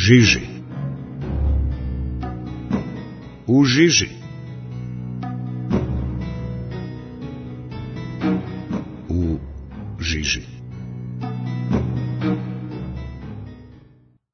žiži. U žiži. U žiži.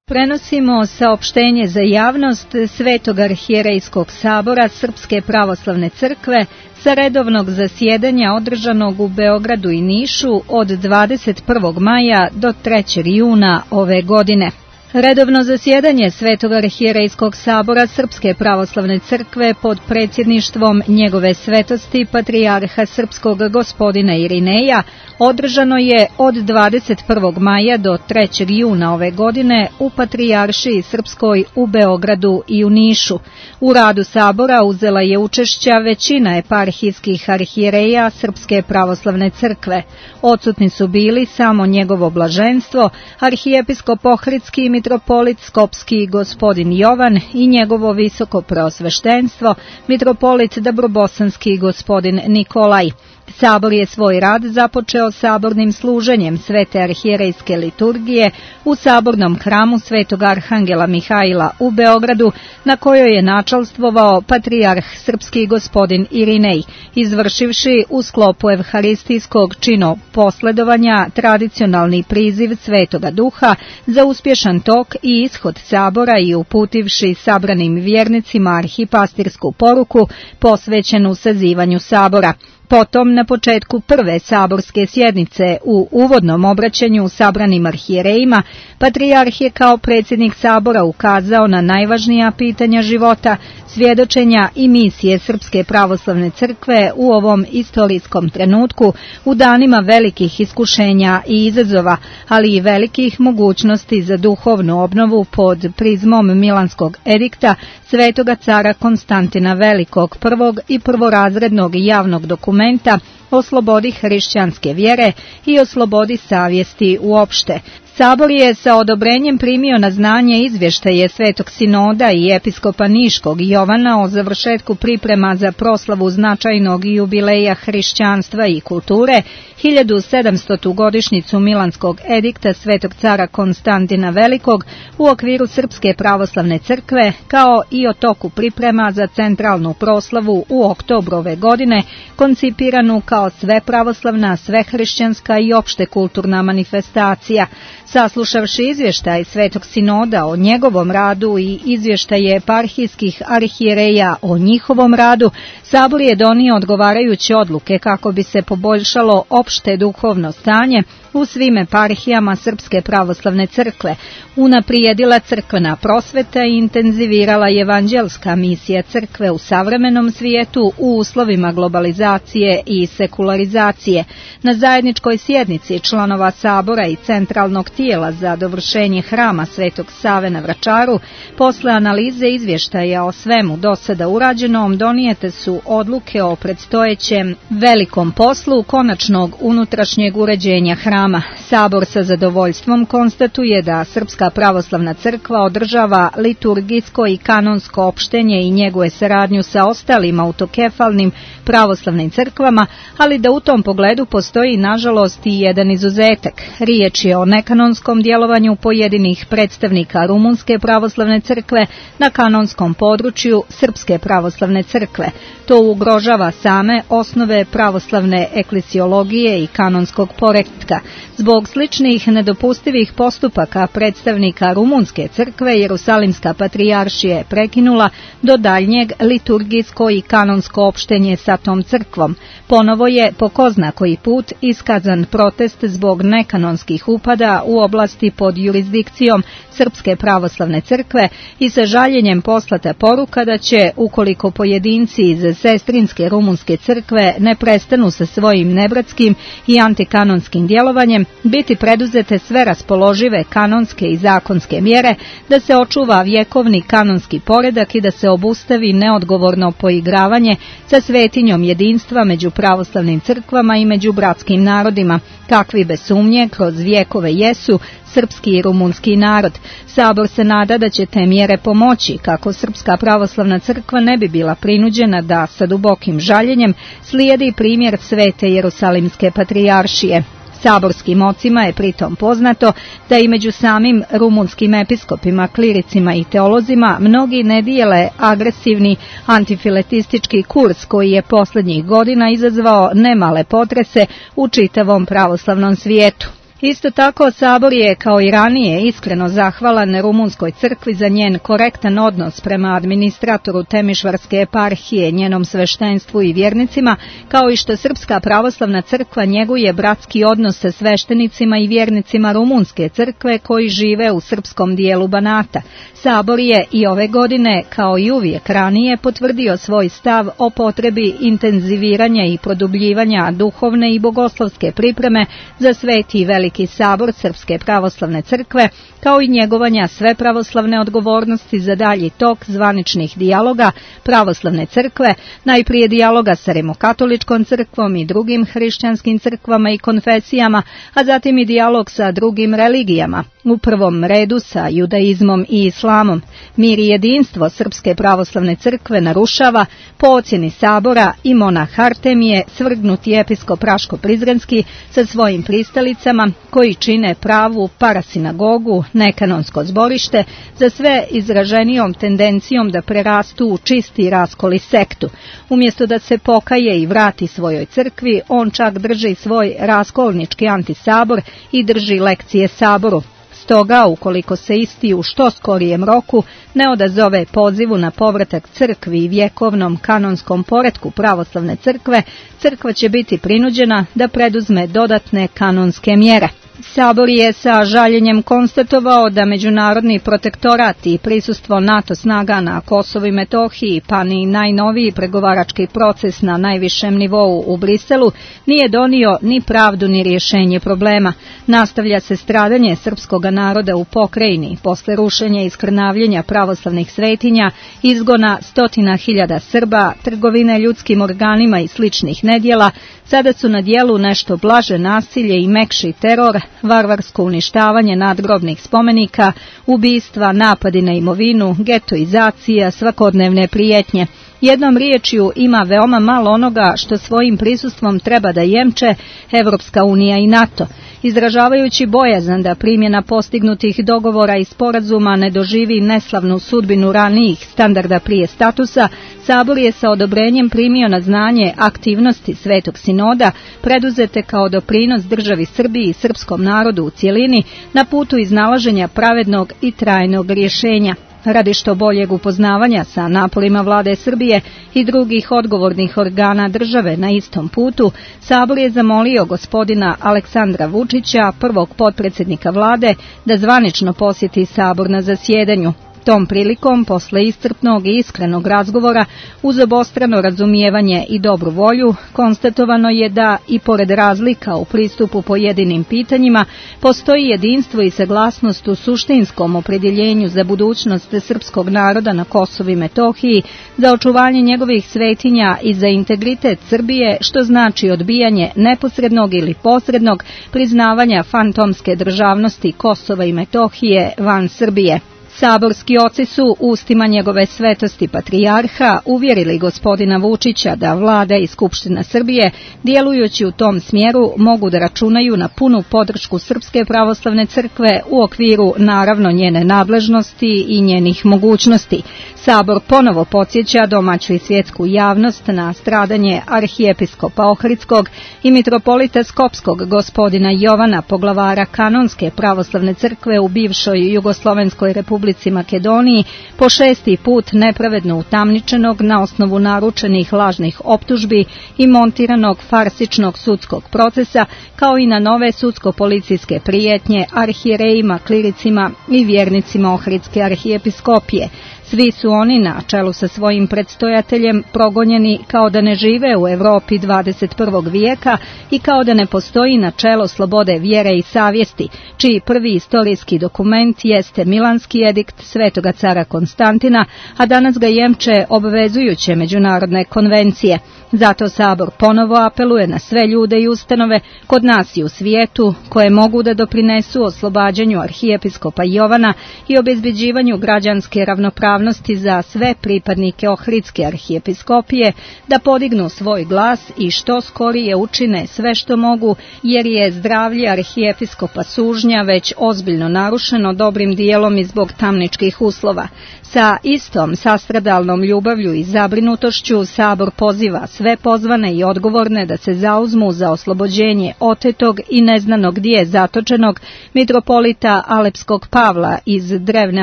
Prenosimo saopštenje za javnost Svetog arhijerejskog sabora Srpske pravoslavne crkve sa redovnog zasjedanja održanog u Beogradu i Nišu od 21. maja do 3. juna ove godine. Redovno zasjedanje Svetog arhijerejskog sabora Srpske pravoslavne crkve pod predsjedništvom njegove svetosti patrijarha srpskog gospodina Irineja održano je od 21. maja do 3. juna ove godine u Patrijaršiji Srpskoj u Beogradu i u Nišu. U radu sabora uzela je učešća većina eparhijskih arhijereja Srpske pravoslavne crkve. Odsutni su bili samo njegovo blaženstvo, arhijepiskop Ohridski mitropolit Skopski gospodin Jovan i njegovo visoko preosveštenstvo, mitropolit Dabrobosanski gospodin Nikolaj. Sabor je svoj rad započeo sabornim služenjem Svete arhijerejske liturgije u sabornom hramu Svetog arhangela Mihajla u Beogradu, na kojoj je načalstvovao patrijarh srpski gospodin Irinej, izvršivši u sklopu evharistijskog čino posledovanja tradicionalni priziv Svetoga Duha za uspješan tok i ishod sabora i uputivši sabranim vjernicima arhipastirsku poruku posvećenu sazivanju sabora. Potom, na početku prve saborske sjednice u uvodnom obraćanju sabranim arhijerejima, patrijarh je kao predsjednik sabora ukazao na najvažnija pitanja života, svjedočenja i misije Srpske pravoslavne crkve u ovom istorijskom trenutku, u danima velikih iskušenja i izazova, ali i velikih mogućnosti za duhovnu obnovu pod prizmom Milanskog edikta Svetoga cara Konstantina Velikog, prvog i prvorazrednog javnog dokumenta o slobodi hrišćanske vjere i o slobodi savjesti uopšte. Sabor je sa odobrenjem primio na znanje izvještaje Svetog sinoda i episkopa Niškog Jovana o završetku priprema za proslavu značajnog jubileja hrišćanstva i kulture, 1700. godišnjicu Milanskog edikta Svetog cara Konstantina Velikog u okviru Srpske pravoslavne crkve, kao i o toku priprema za centralnu proslavu u oktobru ove godine, koncipiranu kao svepravoslavna, svehrišćanska i opšte kulturna manifestacija. Saslušavši izvještaj Svetog sinoda o njegovom radu i izvještaje eparhijskih arhijereja o njihovom radu, Sabor je donio odgovarajuće odluke kako bi se poboljšalo opšte duhovno stanje u svim eparhijama Srpske pravoslavne crkve, unaprijedila crkvena prosveta i intenzivirala evanđelska misija crkve u savremenom svijetu u uslovima globalizacije i sekularizacije. Na zajedničkoj sjednici članova Sabora i centralnog tijela za dovršenje hrama Svetog Save na Vračaru, posle analize izvještaja o svemu do sada urađenom, donijete su odluke o predstojećem velikom poslu konačnog unutrašnjeg uređenja hrama. Sabor sa zadovoljstvom konstatuje da Srpska pravoslavna crkva održava liturgijsko i kanonsko opštenje i njeguje saradnju sa ostalim autokefalnim pravoslavnim crkvama, ali da u tom pogledu postoji nažalost i jedan izuzetak. Riječ je o nekanonskom djelovanju pojedinih predstavnika Rumunske pravoslavne crkve na kanonskom području Srpske pravoslavne crkve. To ugrožava same osnove pravoslavne eklesiologije i kanonskog poretka. Zbog sličnih nedopustivih postupaka predstavnika Rumunske crkve, Jerusalimska patrijaršija je prekinula do daljnjeg liturgijsko i kanonsko opštenje sa tom crkvom. Ponovo je po ko zna koji put iskazan protest zbog nekanonskih upada u oblasti pod jurisdikcijom Srpske pravoslavne crkve i sa žaljenjem poslata poruka da će, ukoliko pojedinci iz sestrinske Rumunske crkve ne prestanu sa svojim nebratskim i antikanonskim djelovanjem, biti preduzete sve raspoložive kanonske i zakonske mjere da se očuva vjekovni kanonski poredak i da se obustavi neodgovorno poigravanje sa svetinjom jedinstva među pravoslavnim crkvama i među bratskim narodima, kakvi bez sumnje kroz vjekove jesu srpski i rumunski narod. Sabor se nada da će te mjere pomoći kako Srpska pravoslavna crkva ne bi bila prinuđena da sa dubokim žaljenjem slijedi primjer Svete Jerusalimske patrijaršije. Saborskim ocima je pritom poznato da i među samim rumunskim episkopima, kliricima i teolozima mnogi ne dijele agresivni antifiletistički kurs koji je posljednjih godina izazvao nemale potrese u čitavom pravoslavnom svijetu. Isto tako, Sabor je, kao i ranije, iskreno zahvalan Rumunskoj crkvi za njen korektan odnos prema administratoru Temišvarske eparhije, njenom sveštenstvu i vjernicima, kao i što Srpska pravoslavna crkva njeguje bratski odnos sa sveštenicima i vjernicima Rumunske crkve koji žive u srpskom dijelu Banata. Sabor je i ove godine, kao i uvijek ranije, potvrdio svoj stav o potrebi intenziviranja i produbljivanja duhovne i bogoslovske pripreme za Sveti i Veliki sabor Srpske pravoslavne crkve, kao i njegovanja sve pravoslavne odgovornosti za dalji tok zvaničnih dijaloga pravoslavne crkve, najprije dijaloga sa Rimokatoličkom crkvom i drugim hrišćanskim crkvama i konfesijama, a zatim i dijalog sa drugim religijama, u prvom redu sa judaizmom i islamom. Mir i jedinstvo Srpske pravoslavne crkve narušava, po ocjeni Sabora, i monah Artemije, svrgnuti episkop Raško-Prizrenski sa svojim pristalicama, koji čine pravu parasinagogu, nekanonsko zborište, za sve izraženijom tendencijom da prerastu u čisti raskol i sektu. Umjesto da se pokaje i vrati svojoj crkvi, on čak drži svoj raskolnički antisabor i drži lekcije Saboru. Stoga, ukoliko se isti u što skorijem roku ne odazove pozivu na povratak crkvi i vjekovnom kanonskom poretku pravoslavne crkve, crkva će biti prinuđena da preduzme dodatne kanonske mjere. Sabor je sa žaljenjem konstatovao da međunarodni protektorat i prisustvo NATO snaga na Kosovu i Metohiji, pa ni najnoviji pregovarački proces na najvišem nivou u Briselu nije donio ni pravdu ni rješenje problema. Nastavlja se stradanje srpskog naroda u pokrajini posle rušenja i skrnavljenja pravoslavnih svetinja, izgona 100.000 Srba, trgovine ljudskim organima i sličnih nedjela. Sada su na djelu nešto blaže nasilje i mekši teror, varvarsko uništavanje nadgrobnih spomenika, ubistva, napadi na imovinu, getoizacija, svakodnevne prijetnje. Jednom riječju, ima veoma malo onoga što svojim prisustvom treba da jemče Evropska unija i NATO. Izražavajući bojazan da primjena postignutih dogovora i sporazuma ne doživi neslavnu sudbinu ranijih standarda prije statusa, Sabor je sa odobrenjem primio na znanje aktivnosti Svetog sinoda preduzete kao doprinos državi Srbiji i srpskom narodu u cjelini na putu iznalaženja pravednog i trajnog rješenja. Radi što boljeg upoznavanja sa naporima vlade Srbije i drugih odgovornih organa države na istom putu, Sabor je zamolio gospodina Aleksandra Vučića, prvog potpredsjednika vlade, da zvanično posjeti Sabor na zasjedanju. Tom prilikom, posle iscrpnog i iskrenog razgovora, uz obostrano razumijevanje i dobru volju, konstatovano je da, i pored razlika u pristupu pojedinim pitanjima, postoji jedinstvo i saglasnost u suštinskom opredjeljenju za budućnost srpskog naroda na Kosovu i Metohiji, za očuvanje njegovih svetinja i za integritet Srbije, što znači odbijanje neposrednog ili posrednog priznavanja fantomske državnosti Kosova i Metohije van Srbije. Saborski oci su ustima njegove svetosti patrijarha uvjerili gospodina Vučića da vlada i Skupština Srbije, djelujući u tom smjeru, mogu da računaju na punu podršku Srpske pravoslavne crkve u okviru naravno njene nadležnosti i njenih mogućnosti. Sabor ponovo podsjeća domaću i svjetsku javnost na stradanje arhijepiskopa Ohridskog i mitropolita Skopskog gospodina Jovana, poglavara kanonske pravoslavne crkve u bivšoj Jugoslovenskoj republici Makedoniji, po 6. put nepravedno utamničenog na osnovu naručenih lažnih optužbi i montiranog farsičnog sudskog procesa, kao i na nove sudsko-policijske prijetnje arhijerejima, kliricima i vjernicima Ohridske arhijepiskopije. Svi su oni, na čelu sa svojim predstojateljem, progonjeni kao da ne žive u Europi 21. vijeka i kao da ne postoji načelo slobode vjere i savjesti, čiji prvi istorijski dokument jeste Milanski edikt Svetoga cara Konstantina, a danas ga jemče obvezujuće međunarodne konvencije. Zato Sabor ponovo apeluje na sve ljude i ustanove kod nas i u svijetu koje mogu da doprinesu oslobađanju arhijepiskopa Jovana i obezbeđivanju građanske ravnopravnosti za sve pripadnike Ohridske arhijepiskopije, da podignu svoj glas i što skorije učine sve što mogu, jer je zdravlje arhijepiskopa Sužnja već ozbiljno narušeno dobrim dijelom i zbog tamničkih uslova. Sa istom sastradalnom ljubavlju i zabrinutošću Sabor poziva sve pozvane i odgovorne da se zauzmu za oslobođenje otetog i neznanog gdje zatočenog mitropolita Alepskog Pavla iz drevne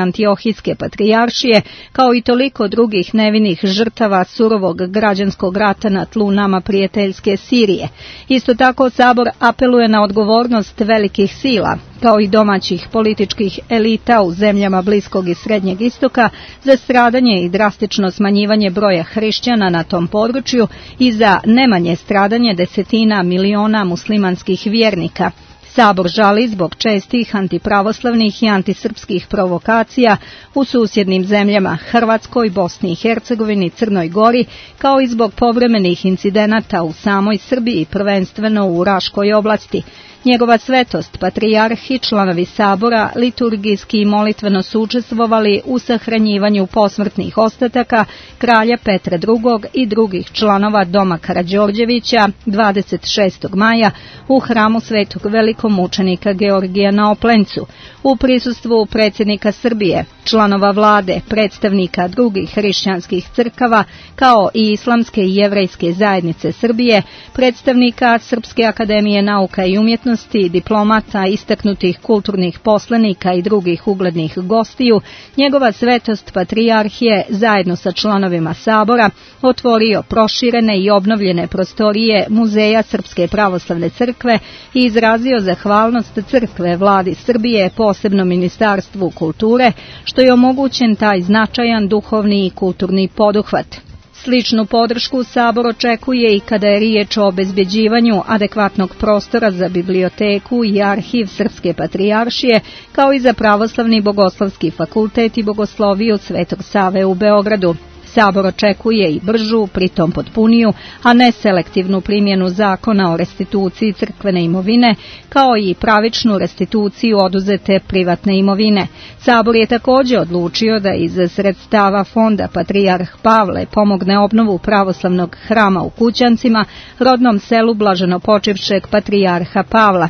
Antiohijske patrijaršije, kao i toliko drugih nevinih žrtava surovog građanskog rata na tlu nama prijateljske Sirije. Isto tako Sabor apeluje na odgovornost velikih sila, kao i domaćih političkih elita u zemljama Bliskog i Srednjeg istoka, za stradanje i drastično smanjivanje broja hrišćana na tom području i za nemanje stradanje desetina miliona muslimanskih vjernika. Sabor žali zbog čestih antipravoslavnih i antisrpskih provokacija u susjednim zemljama Hrvatskoj, Bosni i Hercegovini, Crnoj Gori, kao i zbog povremenih incidenata u samoj Srbiji, prvenstveno u Raškoj oblasti. Njegova svetost, patrijarh i članovi Sabora liturgijski i molitveno su učestvovali u sahranjivanju posmrtnih ostataka kralja Petra II. I drugih članova Doma Karađorđevića 26. maja u hramu svetog velikomučenika Georgija na Oplencu, u prisustvu predsjednika Srbije, članova vlade, predstavnika drugih hrišćanskih crkava, kao i Islamske i Jevrejske zajednice Srbije, predstavnika Srpske akademije nauka i umjetnosti, diplomata, istaknutih kulturnih poslanika i drugih uglednih gostiju, njegova svetost patrijarh je zajedno sa članovima Sabora otvorio proširene i obnovljene prostorije Muzeja Srpske pravoslavne crkve i izrazio zahvalnost crkve vladi Srbije, posebno Ministarstvu kulture, što je omogućen taj značajan duhovni i kulturni poduhvat. Sličnu podršku Sabor očekuje i kada je riječ o obezbeđivanju adekvatnog prostora za biblioteku i arhiv Srpske patrijaršije, kao i za Pravoslavni bogoslovski fakultet i bogosloviju Svetog Save u Beogradu. Sabor očekuje i bržu, pritom potpuniju, a ne selektivnu primjenu zakona o restituciji crkvene imovine, kao i pravičnu restituciju oduzete privatne imovine. Sabor je također odlučio da iz sredstava fonda Patrijarh Pavle pomogne obnovu pravoslavnog hrama u Kućancima, rodnom selu blaženopočivšeg Patrijarha Pavla.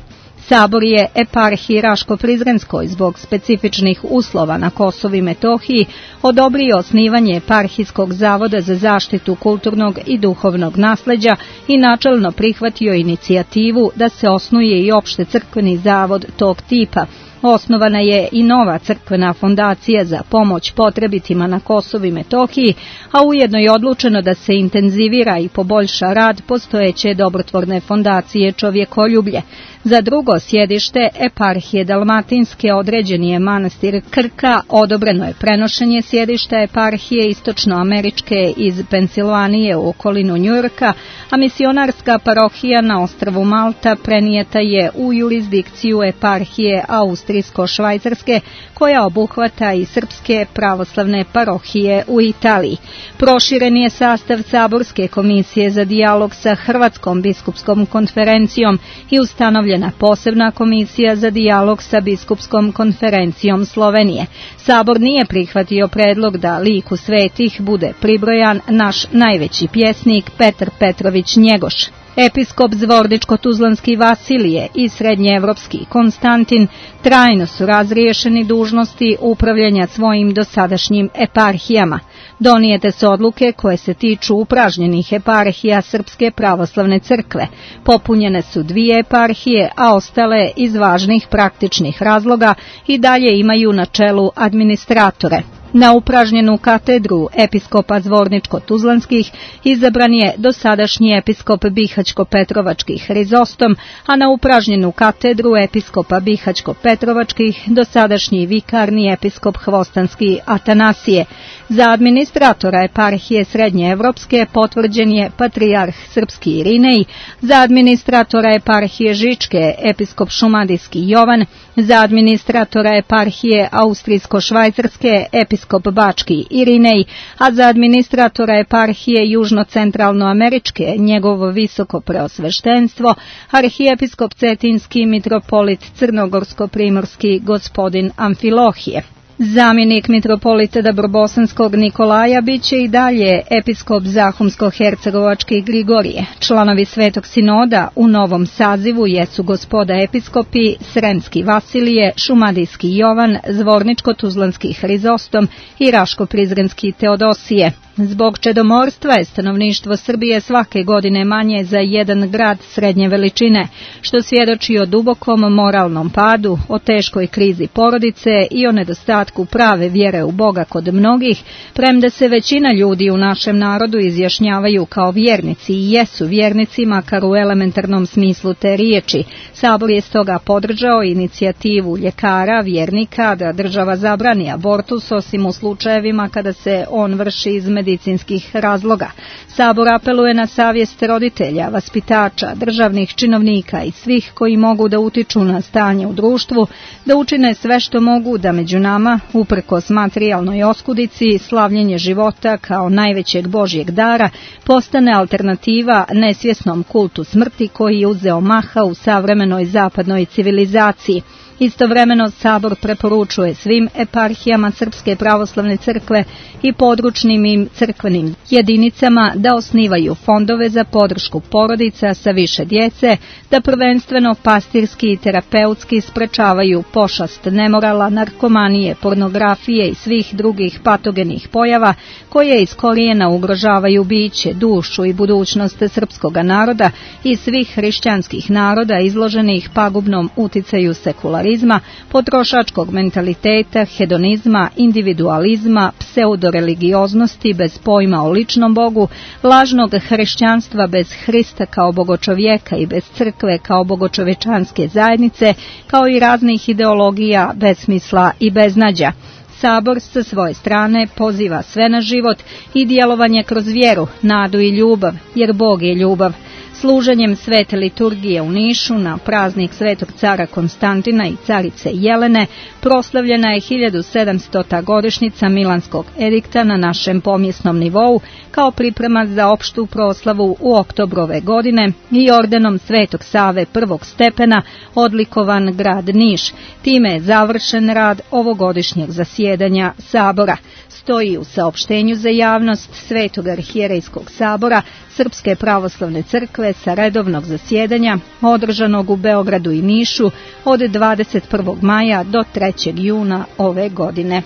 Sabor je eparhiji Raško-Prizrenskoj zbog specifičnih uslova na Kosovu i Metohiji odobrio osnivanje eparhijskog zavoda za zaštitu kulturnog i duhovnog nasleđa i načelno prihvatio inicijativu da se osnuje i opšte crkveni zavod tog tipa. Osnovana je i nova crkvena fondacija za pomoć potrebitima na Kosovu i Metohiji, a ujedno je odlučeno da se intenzivira i poboljša rad postojeće dobrotvorne fondacije Čovjekoljublje. Za drugo sjedište eparhije Dalmatinske određen je manastir Krka, odobreno je prenošenje sjedišta eparhije Istočnoameričke iz Pensilvanije u okolinu Njujorka, a misionarska parohija na ostrvu Malta prenijeta je u jurisdikciju eparhije Austrijsko-Švajcarske, koja obuhvata i srpske pravoslavne parohije u Italiji. Proširen je sastav Saborske komisije za dijalog sa Hrvatskom biskupskom konferencijom i ustanovljena posebna komisija za dijalog sa biskupskom konferencijom Slovenije. Sabor nije prihvatio predlog da liku svetih bude pribrojan naš najveći pjesnik Petar Petrović Njegoš. Episkop Zvorničko-Tuzlanski Vasilije i srednjeevropski Konstantin trajno su razriješeni dužnosti upravljanja svojim dosadašnjim eparhijama. Donijete su odluke koje se tiču upražnjenih eparhija Srpske pravoslavne crkve. Popunjene su 2 eparhije, a ostale iz važnih praktičnih razloga i dalje imaju na čelu administratore. Na upražnjenu katedru episkopa Zvorničko-Tuzlanskih izabran je dosadašnji episkop Bihaćko-Petrovačkih Hrizostom, a na upražnjenu katedru episkopa Bihaćko-Petrovačkih dosadašnji vikarni episkop Hvostanski Atanasije. Za administratora eparhije Srednjeevropske potvrđen je patrijarh Srpski Irinej, za administratora eparhije Žičke episkop Šumadijski Jovan, za administratora eparhije Austrijsko-Švajcarske episkop arhijepiskop bački Irinej, a za administratora eparhije južno-centralnoameričke njegovo visoko preosveštenstvo, arhijepiskop cetinski mitropolit crnogorsko-primorski gospodin Amfilohije. Zamjenik mitropolita Dabrobosanskog Nikolaja biće i dalje episkop Zahumsko-hercegovački Grigorije. Članovi Svetog sinoda u novom sazivu jesu gospoda episkopi Sremski Vasilije, Šumadijski Jovan, Zvorničko-tuzlanski Hrizostom i Raško-prizrenski Teodosije. Zbog čedomorstva je stanovništvo Srbije svake godine manje za jedan grad srednje veličine, što svjedoči o dubokom moralnom padu, o teškoj krizi porodice i o nedostatku prave vjere u Boga kod mnogih, premda se većina ljudi u našem narodu izjašnjavaju kao vjernici i jesu vjernici makar u elementarnom smislu te riječi. Sabor je stoga podržao inicijativu ljekara, vjernika da država zabrani abortus osim u slučajevima kada se on vrši iz medicinskih razloga. Sabor apeluje na savjest roditelja, vaspitača, državnih činovnika i svih koji mogu da utiču na stanje u društvu, da učine sve što mogu da među nama, uprkos materijalnoj oskudici, slavljenje života kao najvećeg Božjeg dara postane alternativa nesvjesnom kultu smrti koji je uzeo maha u savremenoj zapadnoj civilizaciji. Istovremeno Sabor preporučuje svim eparhijama Srpske pravoslavne crkve i područnim im crkvenim jedinicama da osnivaju fondove za podršku porodica sa više djece, da prvenstveno pastirski i terapeutski sprečavaju pošast nemorala, narkomanije, pornografije i svih drugih patogenih pojava koje iz korijena ugrožavaju biće, dušu i budućnost srpskog naroda i svih hrišćanskih naroda izloženih pagubnom uticaju sekularizma, potrošačkog mentaliteta, hedonizma, individualizma, pseudoreligioznosti bez pojma o ličnom Bogu, lažnog hrišćanstva bez Hrista kao bogočovjeka i bez crkve kao bogočovečanske zajednice, kao i raznih ideologija, besmisla i beznađa. Sabor sa svoje strane poziva sve na život i djelovanje kroz vjeru, nadu i ljubav, jer Bog je ljubav. Služenjem svete liturgije u Nišu na praznik svetog cara Konstantina i carice Jelene proslavljena je 1700. godišnjica Milanskog edikta na našem pomjesnom nivou kao priprema za opštu proslavu u oktobru ove godine i ordenom Svetog Save prvog stepena odlikovan grad Niš. Time je završen rad ovogodišnjeg zasjedanja Sabora. Stoji u saopštenju za javnost Svetog arhijerejskog sabora Srpske pravoslavne crkve sa redovnog zasjedanja održanog u Beogradu i Nišu od 21. maja do 3. juna ove godine.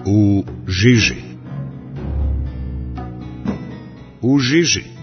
U žiži. U žiži.